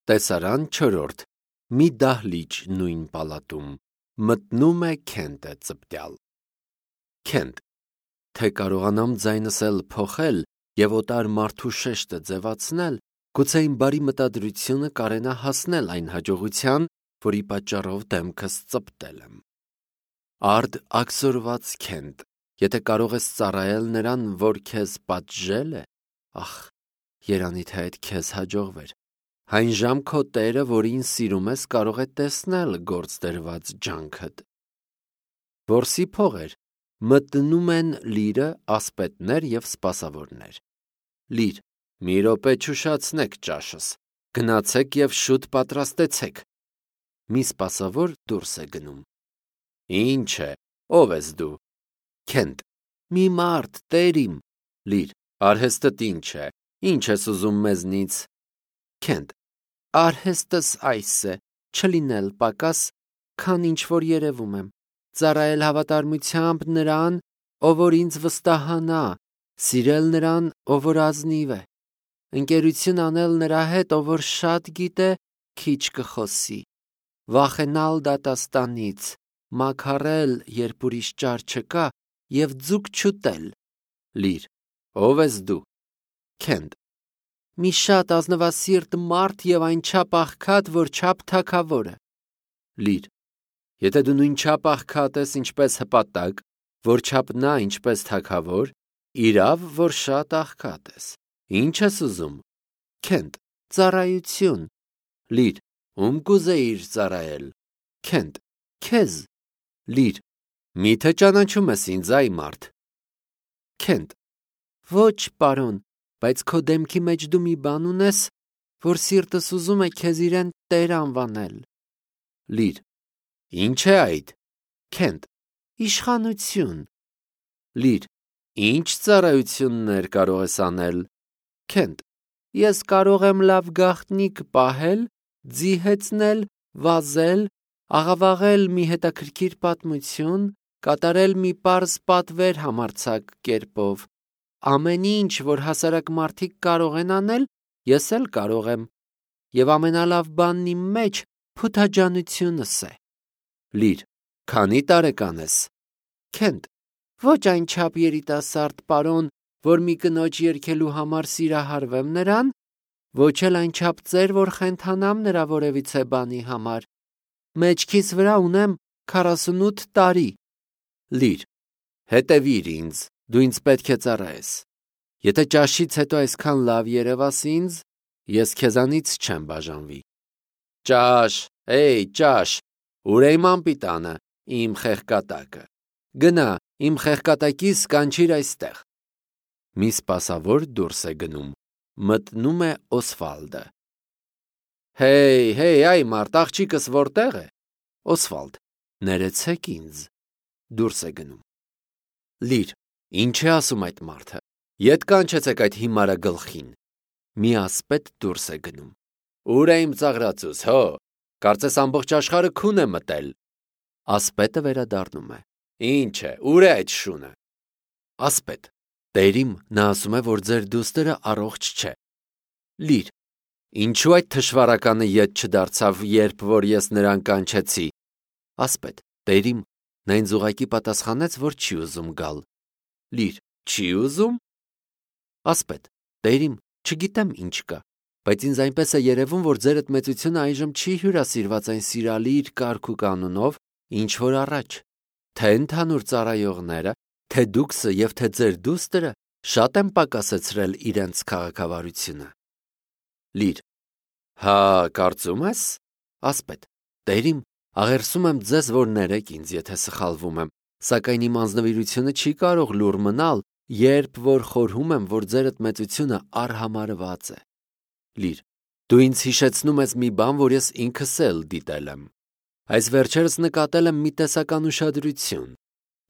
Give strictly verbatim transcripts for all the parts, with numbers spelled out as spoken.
Տեսարան չորրորդ. Մի դահլիճ նույն պալատում մտնում է Քենտը ծպտյալ։ Քենտ. Թե կարողանամ ձայնս էլ փոխել և օտար մարդու շեշտը ձևացնել, գուցե իմ բարի մտադրությունը կարենա հասնել այն հաջողության, որի պատճառով դեմքս ծպտել եմ։ Արդ աքսորված Քենտ, եթե կարող ես ծառայել նրան, որ քեզ պատժել է, ախ, երանի թե այդ քեզ հաջողվեր։ Այն ժամ քո տերը, որին սիրում ես, կարող է տեսնել գործ դրված ջանքդ։ Որսի փողեր մտնում են լիրը, ասպետներ և սպասավորներ։ Լիր, մի րոպե չուշացնեք ճաշս, գնացեք և շուտ պատրաստեցեք։ Մի սպասավոր դուրս է գնում։ Ինչ է, ով ես դու։ Քենտ. Մի մարդ, տեր իմ։ Լիր, արհեստդ ինչ է, ինչ ես ուզում մեզնից։ Քենտ. Արհեստս այս է, չլինել պակաս, քան ինչ որ երևում եմ, ծառայել հավատարմությամբ նրան, ով որ ինձ վստահանա, սիրել նրան, ով որ ազնիվ է, ընկերություն անել նրա հետ, ով որ շատ գիտե, քիչ կխոսի, վախենալ դատաստանից, մաքարել, երբ ուրիշ ճար չկա, և ձուկ չուտել։ Լիր, ով ես դու։ Քենտ. Մի շատ ազնվասիրտ մարդ և այնչափ աղքատ, որ չափ թագավորը։ Լիր, եթե դու նույնչափ աղքատ ես, ինչպես հպատակ, որչափ նա ինչպես թագավոր, իրավ, որ շատ աղքատ ես։ Ինչ ես ուզում։ Քենտ. Ծառայություն։ Լիր, ում կուզեիր ծառայել։ Քենտ. Քեզ։ Լիր, միթե ճանաչում ես ինձ, այ մարդ։ Քենտ. Ոչ, պարոն, բայց քո դեմքի մեջ դու մի բան ունես, որ սիրտս ուզում է քեզ իրեն տեր անվանել։ Լիր, ինչ է այդ։ Քենտ. Իշխանություն։ Լիր, ինչ ծառայություններ կարող ես անել։ Քենտ. Ես կարող եմ լավ գաղտնիք պահել, ձիհեցնել, վազել, աղավաղել մի հետաքրքիր պատմություն, կատարել մի պարզ պատվեր համարձակ կերպով։ Ամեն ինչ, որ հասարակ մարդիկ կարող են անել, ես էլ կարող եմ, և ամենալավ բանն իմ մեջ փութաջանությունս է։ Լիր, քանի տարեկան ես։ Քենտ. Ոչ այնչափ երիտասարդ, պարոն, որ մի կնոջ երգելու համար սիրահարվեմ նրան, ոչ էլ այնչափ ծեր, որ խենթանամ նրա որևիցե բանի համար։ Մեջքիս վրա ունեմ քառասունութ տարի։ Լիր, հետևիր ինձ, դու ինձ պետք է ծառայես։ Եթե ճաշից հետո այսքան լավ երևաս ինձ, ես քեզանից չեմ բաժանվի։ Ճաշ, էй, ճաշ, ուր է իմ անպիտանը, իմ խեղկատակը։ Գնա, իմ խեղկատակիս կանչիր այստեղ։ Մի սպասավոր դուրս է գնում, մտնում է Օսվալդը։ Հեյ, հեյ, այ մարդ, աղջիկս որտեղ է։ Օսվալդ. Ներեցեք ինձ։ Դուրս է գնում։ Լիր, ինչ է ասում այդ մարդը։ Ետ կանչեցեք այդ հիմարը գլխին։ Մի ասպետ դուրս է գնում։ Ուր է իմ ծաղրածուս, հո, կարծես ամբողջ աշխարհը քուն է մտել։ Ասպետը վերադառնում է։ Ինչ է, ուր է այդ շունը։ Ասպետ. Տերիմ, նա ասում է, որ ձեր դուստերը առողջ չէ։ Լիր. Ինչու այդ թշվառականը ետ չդարձավ, երբ որ ես նրան կանչեցի։ Ասպետ. Տերիմ, նա ինձ ուղղակի պատասխանեց, որ չի ուզում գալ։ Լիր. Չի ուզում։ Ասպետ. Տերիմ, չգիտեմ ինչ կա, բայց ինձ այնպես է երևում, որ ձերդ մեծությունը այժմ չի հյուրասիրված այն սիրալիր կարգ ու կանոնով, ինչ որ առաջ, թե ընդհանուր ծառայողները, թե դուքսը և թե ձեր դուստերը շատ են պակասեցրել իրենց քաղաքավարությունը։ Լիր. Հա, կարծում ես։ Ասպետ. Տերիմ, աղերսում եմ ձեզ, որ ներեք ինձ, եթե սխալվում եմ, սակայն իմ անձնվիրությունը չի կարող լուռ մնալ, երբ որ խորհում եմ, որ ձերդ մեծությունը արհամարհված է։ Լիր. Դու ինձ հիշեցնում ես մի բան, որ ես ինքս էլ դիտել եմ։ Այս վերջերս նկատել եմ մի տեսական ուշադրություն,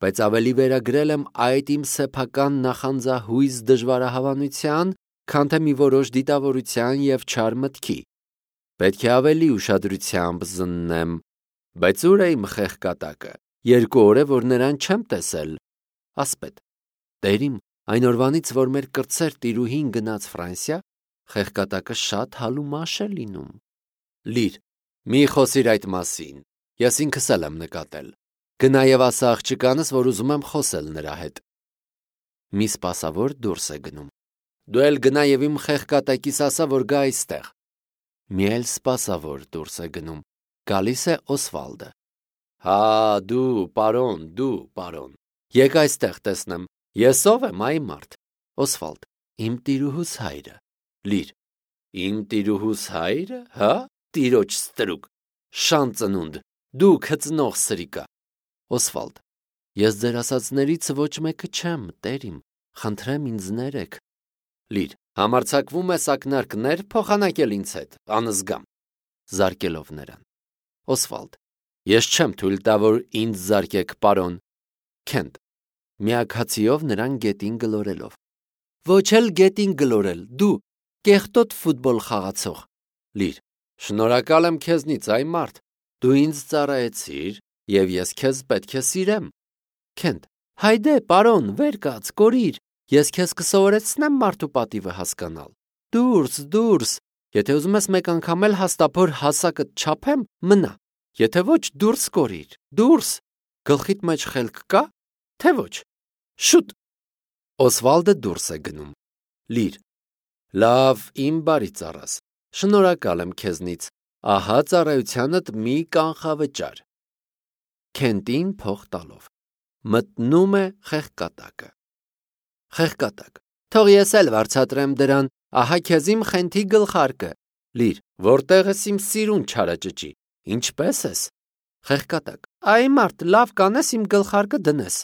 բայց ավելի վերագրել եմ այդ իմ սեփական նախանձահույզ դժվարահավանության, քան թե մի որոշ դիտավորության և չար մտքի։ Պետք է ավելի ուշադրությամբ զննեմ, բայց ուր է իմ խեղկատակը։ Երկու օր է, որ նրան չեմ տեսել։ Ասպետ. Տերիմ, այն օրվանից, որ մեր կրտսեր տիրուհին գնաց Ֆրանսիա, խեղկատակը շատ հալումաշ է լինում։ Լիր, մի խոսիր այդ մասին, ես ինքս էլ եմ նկատել, գնա և ասա աղջկանս, որ ուզում եմ խոսել նրա հետ։ Մի սպասավոր դուրս է գնում, դու էլ գնա և իմ խեղկատակիս ասա, որ գա այստեղ։ Մի էլ սպասավոր դուրս է գնում, գալիս է Օսվալդը։ Հա, դու, պարոն, դու, պարոն, եկ այստեղ տեսնեմ, ես ով եմ, այ մարդ։ Օսվալդ, իմ տիրուհուս հայրը։ Լիր, իմ տիրուհուս հայրը, հա, տիրոջ ստրուկ, շան ծնունդ, դու քծնող սրիկա։ Օսվալդ, ես ձեր ասածներից ոչ մեկը չեմ, տերիմ, խնդրեմ ինձ ներեք։ Լիր, համարձակվում ես ակնարկներ փոխանակել ինձ հետ, անզգամ, զարկելով նրան։ Օսվալդ, ես չեմ թույլ տա, որ ինձ զարկեք, պարոն։ Քենտ, միակհացիով նրան գետին գլորելով։ Ոչ էլ գետին գլորել, դու, կեղտոտ ֆուտբոլ խաղացող։ Լիր, շնորհակալ եմ քեզնից, այ մարդ, դու ինձ ծառայեցիր, և ես քեզ պետք է սիրեմ։ Քենտ, հայդե, պարոն, վեր կաց, կորիր, ես քեզ կսովորեցնեմ մարդու պատիվը հասկանալ։ Դուրս, դուրս, եթե ուզում ես մեկ անգամ էլ հաստափոր հասակդ չափեմ, մնա, եթե ոչ, դուրս կորիր, դուրս, գլխիդ մեջ խելք կա, թե ոչ, շուտ։ Օսվալդը դուրս է գնում։ Լիր, լավ, իմ բարի ծառաս, շնորհակալ եմ քեզնից, ահա ծառայությանդ մի կանխավճար։ Քենտին փող տալով մտնում է խեղկատակը։ Խեղկատակ, թող ես էլ վարձատրեմ դրան, ահա քեզ իմ խենթի գլխարկը։ Լիր, որտեղ ես իմ սիրուն չարաճճի, ինչպես ես։ Խեղկատակ, այ մարդ, լավ կանես իմ գլխարկը դնես։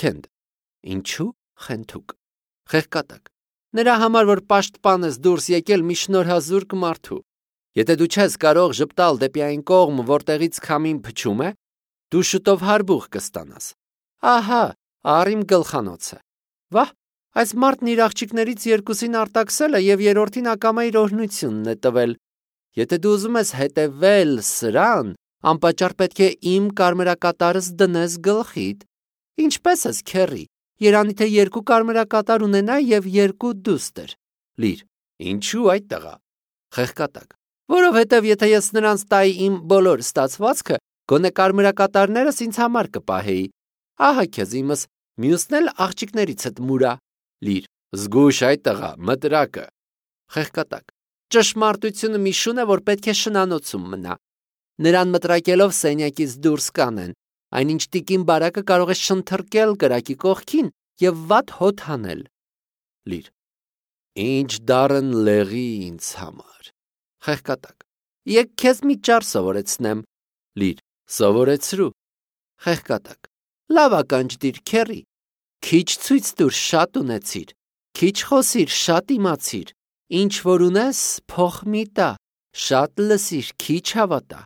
Քենտ, ինչու խենթուկ։ Խեղկատակ, նրա համար, որ պաշտպան ես դուրս եկել մի շնորհազուրկ մարդու։ Եթե դու չես կարող ժպտալ դեպի այն կողմ, որտեղից քամին փչում է, դու շուտով հարբուխ կստանաս։ Ահա, առ իմ գլխանոցը։ Վահ, այս մարդն իր աղջիկներից երկուսին արտաքսել է և երրորդին ակամա իր օրհնությունն է տվել։ Եթե դու ուզում ես հետևել սրան, անպատճառ պետք է իմ կարմրակատարս դնես գլխիդ։ Ինչպես ես, քեռի, երանի թե երկու կարմրակատար ունենա և երկու դուստր։ Լիր, ինչու այդ տղա։ Խեղկատակ, որովհետև եթե ես նրանց տայի իմ բոլոր ստացվածքը, գոնե կարմրակատարներս ինձ համար կպահեի։ Ահա քեզ իմս, մյուսն էլ աղջիկներիցդ մուրա։ Լիր, զգույշ այդ տղա, մտրակը։ Խեղկատակ, ճշմարտությունը մի շուն է, որ պետք է շնանոցում մնա։ Նրան մտրակելով սենյակից դուրս կանեն, այնինչ տիկին բարակը կարող է շնթրկել կրակի կողքին և վատ հոտ հանել։ Լիր, ինչ դառն լեղի ինձ համար։ Խեղկատակ, եկ քեզ մի ճար սովորեցնեմ։ Լիր, սովորեցրու։ Խեղկատակ, լավ ականջ դիր, քեռի, քիչ ցույց տուր, շատ ունեցիր, քիչ խոսիր, շատ իմացիր, ինչ որ ունես, փող մի տա, շատ լսիր, քիչ հավատա,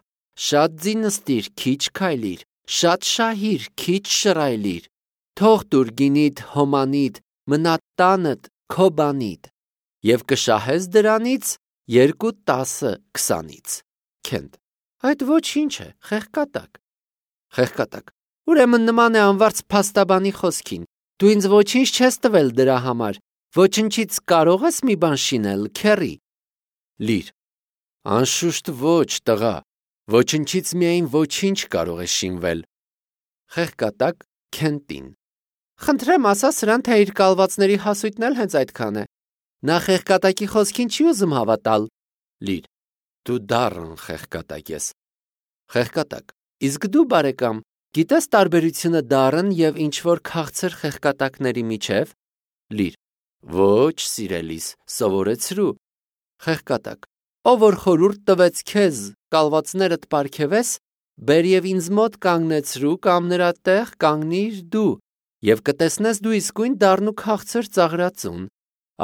շատ ձինստիր, քիչ քայլիր, շատ շահիր, քիչ շռայլիր, թող տուր գինիդ, հոմանիդ, մնա տանդ, քո բանիդ, և կշահես դրանից երկու տասը քսանից։ Քենտ, այդ ոչինչ է, խեղկատակ։ Խեղկատակ, ուրեմն նման է անվարձ փաստաբանի խոսքին, դու ինձ ոչինչ չես տվել դրա համար, ոչնչից կարող ես մի բան շինել, քեռի։ Լիր, անշուշտ ոչ, տղա, ոչնչից միայն ոչինչ կարող է շինվել։ Խեղկատակ Քենտին, խնդրեմ ասա սրան, թե իր կալվածների հասույթն էլ հենց այդքան է։ Նա խեղկատակի խոսքին չի ուզում հավատալ։ Լիր, դու դառն խեղկատակ ես։ Խեղկատակ, իսկ դու բարեկամ, գիտես տարբերությունը դառն և ինչ-որ քաղցր խեղկատակների միջև։ Լիր, ոչ, սիրելիս, սովորեցրու։ Խեղկատակ, ով որ խորհուրդ տվեց քեզ կալվածներդ պարգևես, բեր և ինձ մոտ կանգնեցրու կամ նրա տեղ կանգնիր դու, և կտեսնես դու իսկույն դառն ու քաղցր ծաղրածուն,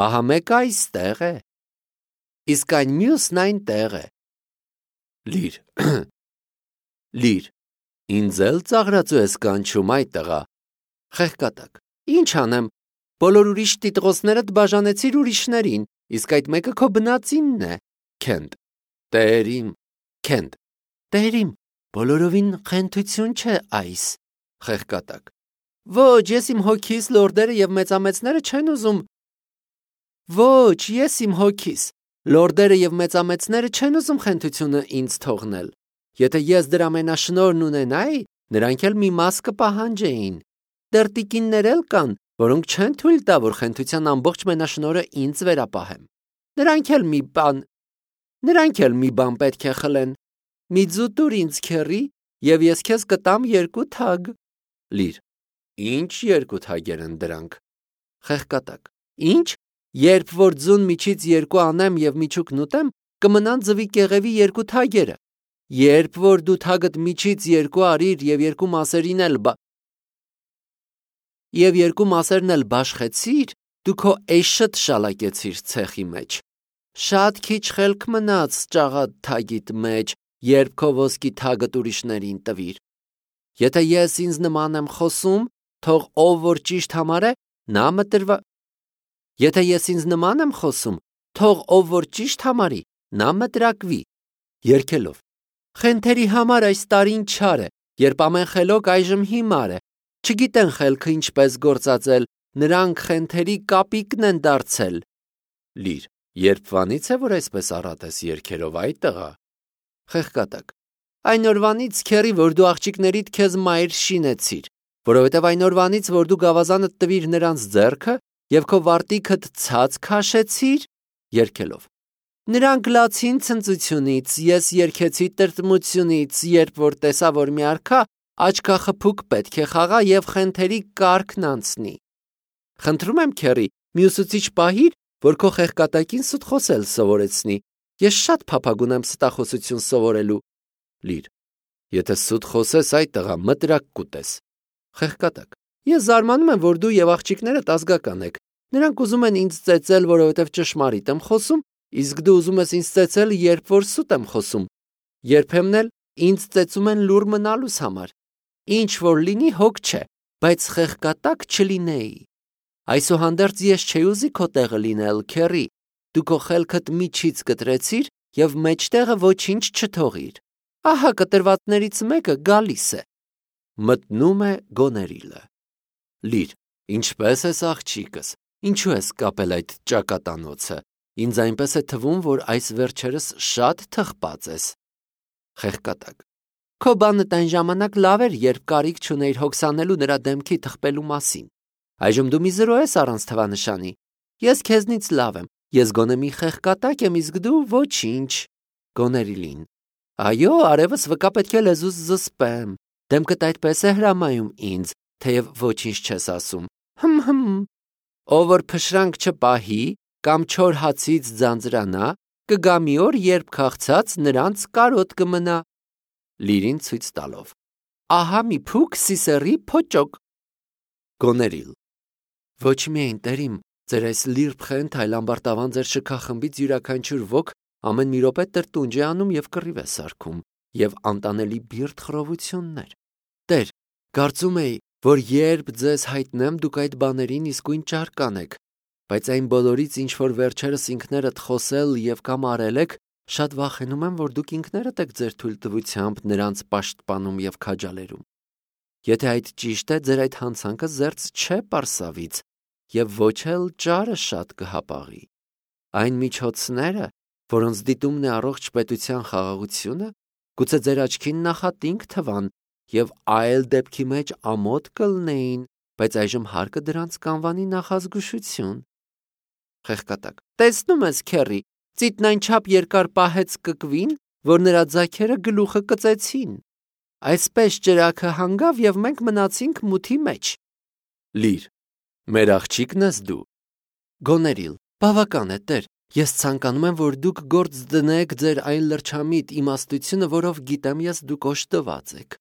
ահա մեկը այստեղ է, իսկ այն մյուսն այնտեղ է։ Լիր, լիր, ինձ էլ ծաղրածու ես կանչում, այ տղա։ Խեղկատակ, ինչ անեմ, բոլոր ուրիշ տիտղոսներդ բաժանեցիր ուրիշներին, իսկ այդ մեկը քո բնածինն է։ Քենտ, տերիմ, Քենտ, տերիմ, բոլորովին խենթություն չէ այս։ Խեղկատակ, ոչ, ես իմ հոգիս լորդերը և մեծամեծները չեն ուզում։ Ոչ, ես իմ հոգիս, Լորդերը եւ մեծամեծները չեն ուզում խենթությունը ինձ թողնել։ Եթե ես դրա մենաշնորհն ունենայի, նրանք էլ մի մաս կպահանջեին։ Դեռ տիկիններ էլ կան, որոնք չեն թույլ տա, որ խենթության ամբողջ մենաշնորհը ինձ վերապահեմ։ Նրանք էլ մի բան, նրանք էլ մի բան պետք է խլեն։ Մի ձու տուր ինձ քեռի, եւ ես քեզ կտամ երկու թագ։ Լիր. Ինչ երկու թագեր են դրանք։ Խեղկատակ. Ինչ? Երբ որ ձուն միջից երկու անեմ եւ միջուկն ուտեմ, կմնան ձվի կեղևի երկու թագերը։ Երբ որ դու թագդ միջից երկու արիր եւ երկու մասերին էլ բա... եւ երկու մասերն էլ բաշխեցիր, դու քո էշդ շալակեցիր ցեխի մեջ։ Շատ քիչ խելք մնաց ճաղատ թագիդ մեջ, երբ քո ոսկի թագդ ուրիշներին տվիր։ Եթե ես ինձ նման եմ խոսում, թող ով որ ճիշտ համարե, նա մտրվա։ Եթե ես ինձ նման եմ խոսում, թող ով որ ճիշտ համարի, նա մտրակվի։ Երգելով. Խենթերի համար այս տարին չար է, երբ ամեն խելոք այժմ հիմար է։ Չգիտեն խելքը ինչպես գործածել, նրանք խենթերի կապիկն են դարձել։ Լիր. Երբ վանից է, որ այսպես առատ ես երգերով այդ տղա։ Խեղկատակ. Այն օրվանից քերի, որ դու աղջիկներիդ քեզ մայր շինեցիր, որովհետև այն օրվանից, որ դու գավազանդ տվիր նրանց ձեռքը եւ քո վարտիքդ ցած քաշեցիր, երգելով. Նրանք լացին ցնծությունից, ես երգեցի տրտմությունից, երբ որ տեսա, որ մի արքա աչքախփուկ պետք է խաղա եւ խենթերի կարգն անցնի։ Խնդրում եմ քերի, մի ուսուցիչ պահիր, որ քո խեղկատակին սուտ խոսել սովորեցնի։ Ես շատ փափագ ունեմ ստախոսություն սովորելու։ Լիր. Եթե սուտ խոսես այդ տղա, մտրակ կուտես։ Խեղկատակ. Ես զարմանում եմ, որ դու եւ աղջիկներդ ազգական եք։ Նրանք ուզում են ինձ ծեծել, որովհետեւ ճշմարիտ եմ խոսում, իսկ դու ուզում ես ինձ ծեծել, երբ որ սուտ եմ խոսում։ Երբեմն էլ ինձ ծեծում են լուր մնալուս համար։ Ինչ որ լինի հոգ չէ, բայց խեղկատակ չլինեի։ Այսուհանդերձ ես չէի ուզի քո տեղը լինել, քերի։ Դու քո խելքդ միջից կտրեցիր եւ մեջտեղը ոչինչ չթողիր։ Ահա կտրվածներից մեկը գալիս է։ Մտնում է Գոներիլը։ Լիր. Ինչպես ես աղջիկս, ինչու ես կապել այդ ճակատանոցը։ Ինձ այնպես է թվում, որ այս վերջերս շատ թխված ես։ Խեղկատակ. Քո բանը այն ժամանակ լավ էր, երբ կարիք չունեիր հոգսանելու նրա դեմքի թխպելու մասին։ Այժմ դու մի զրո ես առանց թվանշանի։ Ես քեզնից լավ եմ։ Ես գոնե մի խեղկատակ եմ, իսկ դու ոչինչ։ Գոներիլին. Այո, արևս վկա պետք է լեզուս զսպեմ։ Դեմքդ այդպես է հրամայում ինձ, թեև ոչինչ չես ասում։ Հմ հմ։ Ով որ փշրանք չպահի կամ չոր հացից ձանձրանա, կգա մի օր, երբ քաղցած նրանց կարոտ կմնա։ Լիրին ցույց տալով. Ահա մի փուք սիսերի փոճոկ։ Գոներիլ. Ոչ միայն տերիմ, ձեր այս լիրբ խենթ, այլ ամբարտավան ձեր շքախմբից յուրաքանչյուր ոք ամեն մի րոպե տրտունջ է անում եւ կռիվ է սարքում եւ անտանելի բիրտ խռովություններ։ Տեր, կարծում էի, որ երբ ձեզ հայտնեմ, դուք այդ բաներին իսկույն ճարկանեք, բայց այն բոլորից, ինչ որ վերջերս ինքներդ խոսել եւ կամ արել եք, շատ վախենում եմ, որ դուք ինքներդ եք ձեր թույլտվությամբ նրանց պաշտպանում եւ քաջալերում։ Եթե այդ ճիշտ է, ձեր այդ հանցանքը զերծ չէ Պարսավից եւ ոչ էլ ճարը շատ կհապաղի։ Այն միջոցները, որոնց դիտումն է առողջ պետության խաղաղությունը, գուցե ձեր աչքին նախատինք թվան եւ այլ դեպքի մեջ ամոթ կլնեին, բայց այժմ հարկը դրանց կանվանի նախազգուշություն։ Խեղկատակ. Տեսնում ես, քերի, ծիտն այնչափ երկար պահեց կկվին, որ նրա ձագերը գլուխը կծեցին։ Այսպես ճրակը հանգավ եւ մենք մնացինք մութի մեջ։ Լիր. Մեր աղջիկն ես դու։ Գոներիլ. Բավական է, տեր, ես ցանկանում եմ, որ դուք գործ դնեք ձեր այն լրջամիտ իմաստությունը, որով գիտեմ ես դուք օժտված եք,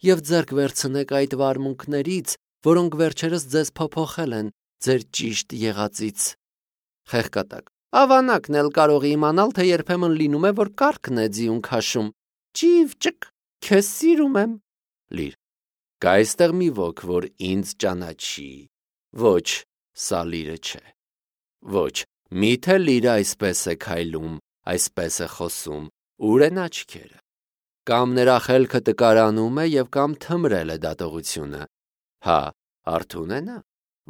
եւ ձեռք վերցնեք այդ վարմունքներից, որոնք վերջերս ձեզ փոփոխել են ձեր ճիշտ եղածից։ Խեղկատակ. Ավանակն էլ կարող է իմանալ, թե երբեմն լինում է, որ կառքն է ձիուն քաշում։ Ճիվ ճկ, քեզ սիրում եմ։ Լիր. Կա այստեղ մի ոք, որ ինձ ճանաչի։ Ոչ, սա լիրը չէ։ Ոչ, միթե լիրը այսպես է քայլում, այսպես է խոսում, ուր են աչքերը։ Կամ նրա խելքը տկարանում է եւ կամ թմրել է դատողությունը։ Հա, արթուն է նա,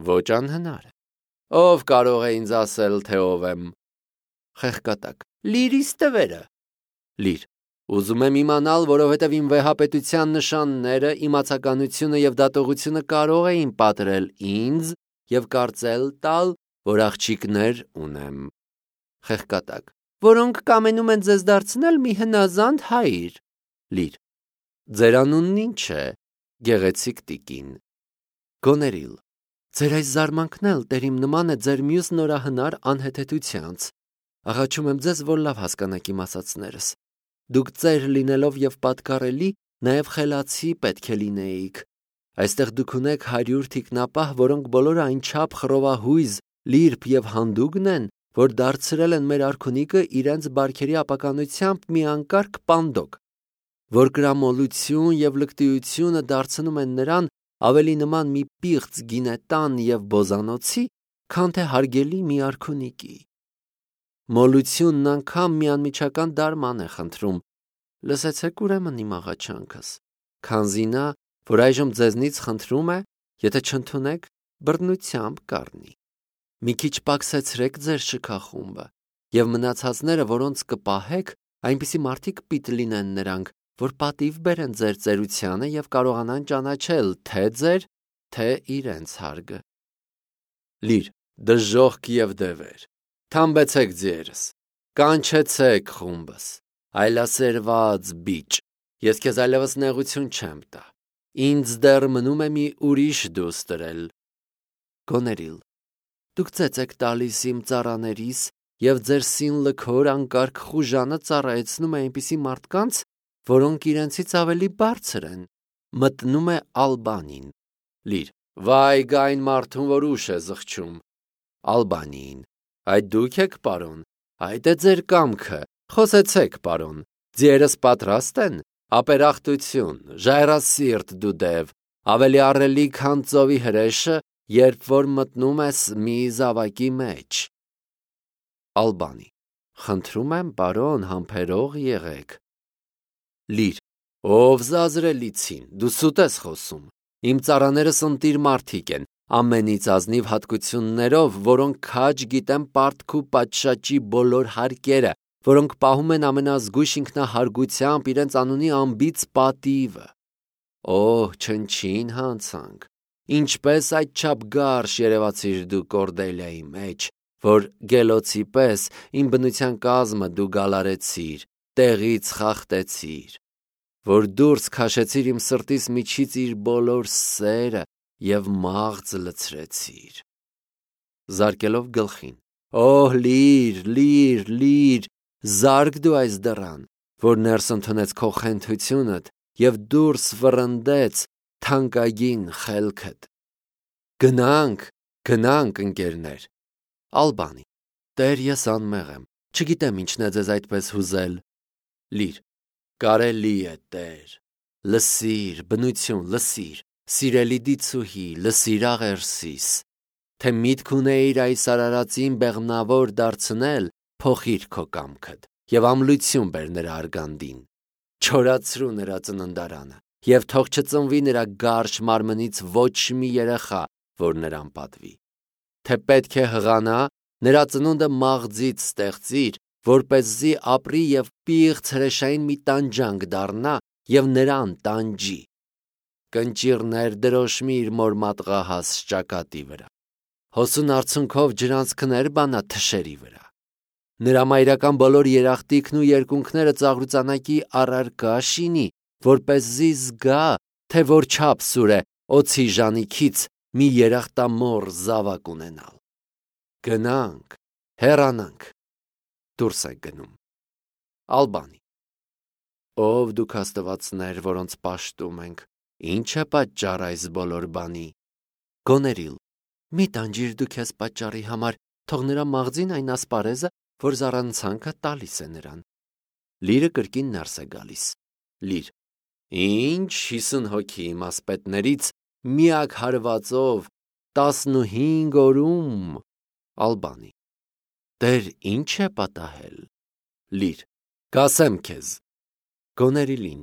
ոչ անհնար է։ Ով կարող է ինձ ասել, թե ով եմ։ Խեղկատակ. Լիրիս տվերը։ Լիր. Ուզում եմ իմանալ, որովհետև իմ վեհապետության նշանները, իմացականությունը և դատողությունը կարող էին պատրել ինձ և կարծել տալ, որ աղջիկներ ունեմ։ Խեղկատակ. Որոնք կամենում են ձեզ դարձնել մի հնազանդ հայր։ Լիր. Ձեր անունն ինչ է, գեղեցիկ տիկին։ Գոներիլ. Ձեր այս զարմանքն էլ տերիմ նման է ձեր մյուս նորահնար անհեթեթությանց։ Աղաչում եմ ձեզ, որ լավ հասկանաք իմ ասածներս։ Դուք ծեր լինելով և պատկառելի, նաև խելացի պետք է լինեիք։ Այստեղ դուք ունեք հարյուր թիկնապահ, որոնք բոլորը այնչափ խռովահույզ, լիրբ և հանդուգն են, որ դարձրել են մեր արքունիքը իրենց բարքերի ապականությամբ մի անկարգ պանդոկ, որ կրամոլություն և լկտիությունը դարձնում են նրան ավելի նման մի պիղծ գինետան և բոզանոցի, քան թե հարգելի մի արքունիկի։ Մոլությունն անգամ մի անմիջական դարման է խնդրում։ Լսեցեք ուրեմն իմ աղաչանքս, քանզի նա, որ այժմ ձեզնից խնդրում է, եթե չընդունեք, բռնությամբ կառնի։ Մի քիչ պակսեցրեք ձեր շքախումբը, և մնացածները, որոնց կպահեք, այնպիսի մարդիկ պիտի լինեն նրանք, որ պատիվ բերեն ձեր ծերությանը և կարողանան ճանաչել թե ձեր, թե իրենց հարգը։ Լիր, դժոխք և դևեր, թամբեցեք ձիերս, կանչեցեք խումբս, այլասերված բիճ, ես քեզ այլևս նեղություն չեմ տա, ինձ դեռ մնում է մի ուրիշ դուստրել։ Գոներիլ. Դուք ծեծ եք տալիս իմ ծառաներիս և ձեր սին լքոր անկարգ խուժանը ծառայեցնում է այնպիսի մարդկանց, որոնք իրենցից ավելի բարձր են։ Մտնում է Ալբանին։ Լիր. Վայ գա այն մարդուն, որ ուշ է զղջում։ Ալբանիին. Այդ դուք եք, պարոն, այդ է ձեր կամքը, խոսեցեք, պարոն, ձիերս պատրաստ են, ապերախտություն, ժայռասիրտ դու դև, ավելի առելի, քան ծովի հրեշը, երբ որ մտնում ես մի զավակի մեջ։ Ալբանի. Խնդրում եմ, պարոն, համբերող եղեք։ Լիր. Ով զազրելիցին, դու սուտ ես խոսում, իմ ծառաներս ընտիր մարդիկ են, ամենից ազնիվ հատկություններով, որոնք քաջ գիտեն պարտք ու պատշաճի բոլոր հարկերը, որոնք պահում են ամենազգույշ ինքնահարգությամբ իրենց անունի անբիծ պատիվը։ Օհ, չնչին հանցանք, ինչպես այդչափ գարշ երևացիր դու Կորդելիայի մեջ, որ գելոցի պես իմ բնության կազմը դու գալարեցիր, տեղից խախտեցիր, որ դուրս քաշեցիր իմ սրտիս միջից իր բոլոր սերը և մաղձ լցրեցիր։ Զարկելով գլխին. Օհ, լիր, լիր, լիր, զարկ դու այս դռան, որ ներս ընդունեց քո խենթությունդ և դուրս վռնդեց թանկագին խելքդ։ Գնանք, գնանք, ընկերներ։ Ալբանի. Տեր, ես անմեղ եմ, չգիտեմ ինչն է ձեզ այդպես հուզել։ Լիր. Կարելի է, Տեր։ Լսիր, բնություն, լսիր, սիրելի դիցուհի, լսիր աղերսիս, թե միտք ունեիր այս արարածին բեղմնավոր դարձնել, փոխիր քո կամքդ և ամլություն բեր նրա արգանդին, չորացրու նրա ծննդարանը և թող չծնվի նրա գարշ մարմնից ոչ մի երեխա, որ նրան պատվի, թե պետք է հղանա, նրա ծնունդը մաղձից ստեղծիր, որպեսզի ապրի և պիղծ հրեշային մի տանջանք դառնա և նրան տանջի, կնճիռներ դրոշմի իր մոր մատղահաս ճակատի վրա, հոսուն արցունքով ջրանցքներ բանա թշերի վրա, նրա մայրական բոլոր երախտիկն ու երկունքները ծաղրուծանակի առարկա շինի, որպեսզի զգա, թե որչափ սուր է օձի ժանիքից մի երախտամոռ զավակ ունենալ։ Գնանք, հեռանանք, դուրս եք գնում։ Ալբանի. Ով դուք աստվածներ, որոնց պաշտում ենք, ինչ է պատճառ այս բոլոր բանի։ Գոներիլ. Մի տանջիր դու քեզ պատճառի համար, թող նրա մաղձին այն ասպարեզը, որ զառանցանքը տալիս է նրան։ Լիրը կրկին ներս է գալիս։ Լիր. Ինչ հիսուն հոգի իմ ասպետներից միակ հարվածով տասնուհինգ օրում։ Ալբանի. Տեր, ինչ է պատահել։ Լիր. Կասեմ քեզ։ Գոներիլին.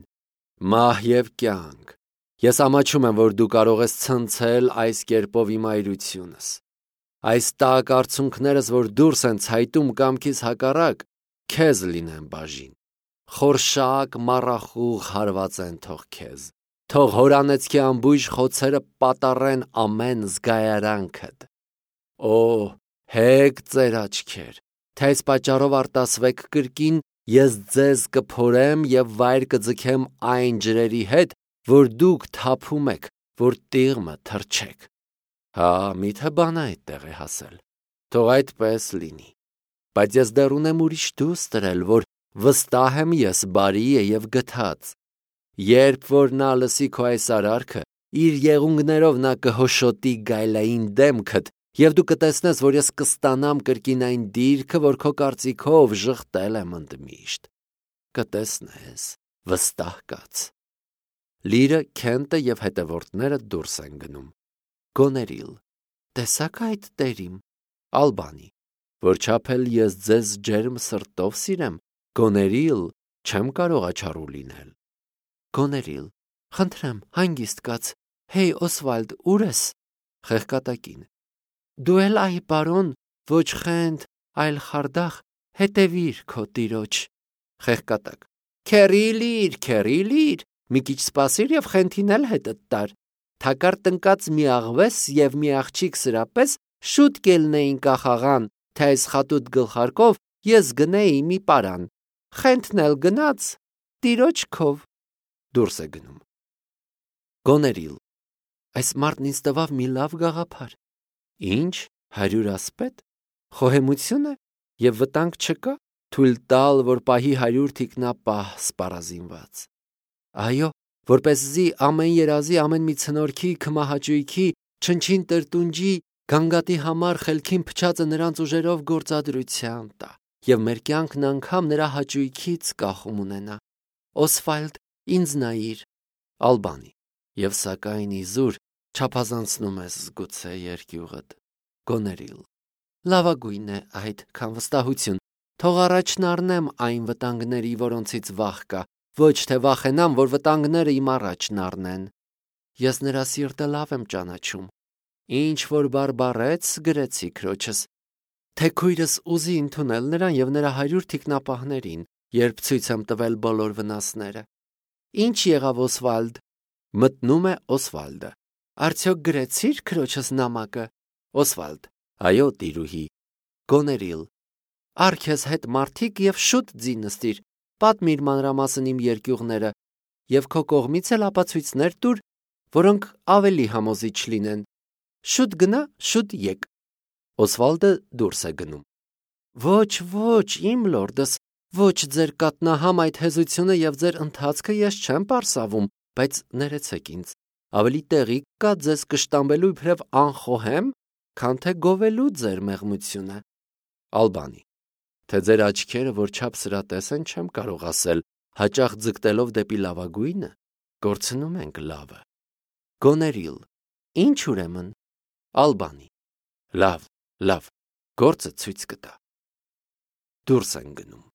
Մահ և կյանք, ես ամաչում եմ, որ դու կարող ես ցնցել այս կերպով իմ այրությունս։ այս տաք արցունքներս, որ դուրս են ցայտում կամքիս հակառակ, քեզ լինեն բաժին, խորշակ մառախուղ հարված են թող քեզ, թող հորանեցքի ամբույժ խոցերը պատառեն ամեն զգայարանքդ, օ, հեկ ծեր աչքեր, թե այս պատճառով արտասվեք կրկին, ես ձեզ կփորեմ և վայր կձգեմ այն ջրերի հետ, որ դուք թափում եք, որ տիղմը թռչեք, հա, միթե բանը այդտեղ է հասել, թող այդպես լինի, բայց ես դեռ ունեմ ուրիշ դուստրել, որ վստահ եմ ես բարի է և գթած, երբ որ նա լսի քո այս արարքը, իր եղունգներով նա կհոշոտի գայլային դեմքդ, և դու կտեսնես, որ ես կստանամ կրկին այն դիրքը, որ քո կարծիքով ժխտել եմ ընդմիշտ, կտեսնես, վստահ կաց, լիրը, Քենտը և հետևորդները դուրս են գնում, Գոներիլ, տեսաք այդ տերիմ, Ալբանի, որ չափել ես ձեզ ջերմ սրտով սիրեմ, Գոներիլ, չեմ կարող աչառու լինել, Գոներիլ, խնդրեմ, հանգիստ կաց, հեյ Օսվալդ, ուր ես, խեղկատակին, դու էլ այ բարոն, ոչ խենթ, այլ խարդախ, հետևիր քո տիրոջ, խեղկատակ, քերի լիր, քերի լիր, մի քիչ սպասիր և խենթին էլ հետդ տար, թակար տնկած մի աղվես և մի աղջիկ սրապես շուտ կելնեին կախաղան, թե այս խատուտ գլխարկով ես գնեի մի պարան, խենթն էլ գնաց, տիրոջ քով, դուրս է գնում, Գոներիլ, այս մարդն ինձ տվավ մի լավ գաղափար, ինչ, հարյուր ասպետ, խոհեմություն է և վտանգ չկա, թույլ տալ, որ պահի հարյուր թիկնապահ սպառազինված, այո, որպեսզի ամեն երազի, ամեն մի ցնորքի, քմահաճույքի, չնչին տրտունջի, գանգատի համար խելքին փչածը նրանց ուժերով գործադրության տա, և մեր կյանքն անգամ նրա հաճույքից կախում ունենա, Օսվալդ, ինձ նայիր, Ալբանի, և սակայն իզուր չափազանցնում ես զգուցե երկյուղդ, Գոներիլ, լավագույն է այդ, քան վստահություն, թող առաջն առնեմ այն վտանգների, որոնցից վախ կա, ոչ թե վախենամ, որ վտանգները իմ առաջն առնեն, ես նրա սիրտը լավ եմ ճանաչում, ինչ որ բարբառեց գրեցի քրոջս, թե քույրս ուզի ընդունել նրան և նրա հարյուր թիկնապահներին, երբ ցույց եմ տվել բոլոր վնասները, ինչ եղավ Օսվալդ, մտնում է Օսվալդը, արդյոք գրեցիր քրոջս նամակը, Օսվալդ, այո տիրուհի, Գոներիլ, առ քեզ հետ մարդիկ և շուտ ձին նստիր, պատմիր մանրամասն իմ երկյուղները և քո կողմից էլ ապացույցներ տուր, որոնք ավելի համոզիչ լինեն, շուտ գնա, շուտ եկ, Օսվալդը դուրս է գնում, ոչ, ոչ, իմ լորդս, ոչ ձեր կատնահամ այդ հեզությունը և ձեր ընթացքը ես չեմ պարսավում, բայց ներեցեք ինձ, ավելի տեղիք կա ձեզ կշտամբելու իբրև անխոհեմ, քան թե գովելու ձեր մեղմությունը, Ալբանի, թե ձեր աչքերը որ չափ սրատես են չեմ կարող ասել, հաճախ ձգտելով դեպի լավագույնը, կորցնում ենք լավը, Գոներիլ, ինչ ուրեմն, Ալբանի, լավ, լավ, գործը ցույց կտա, դուրս են գնում,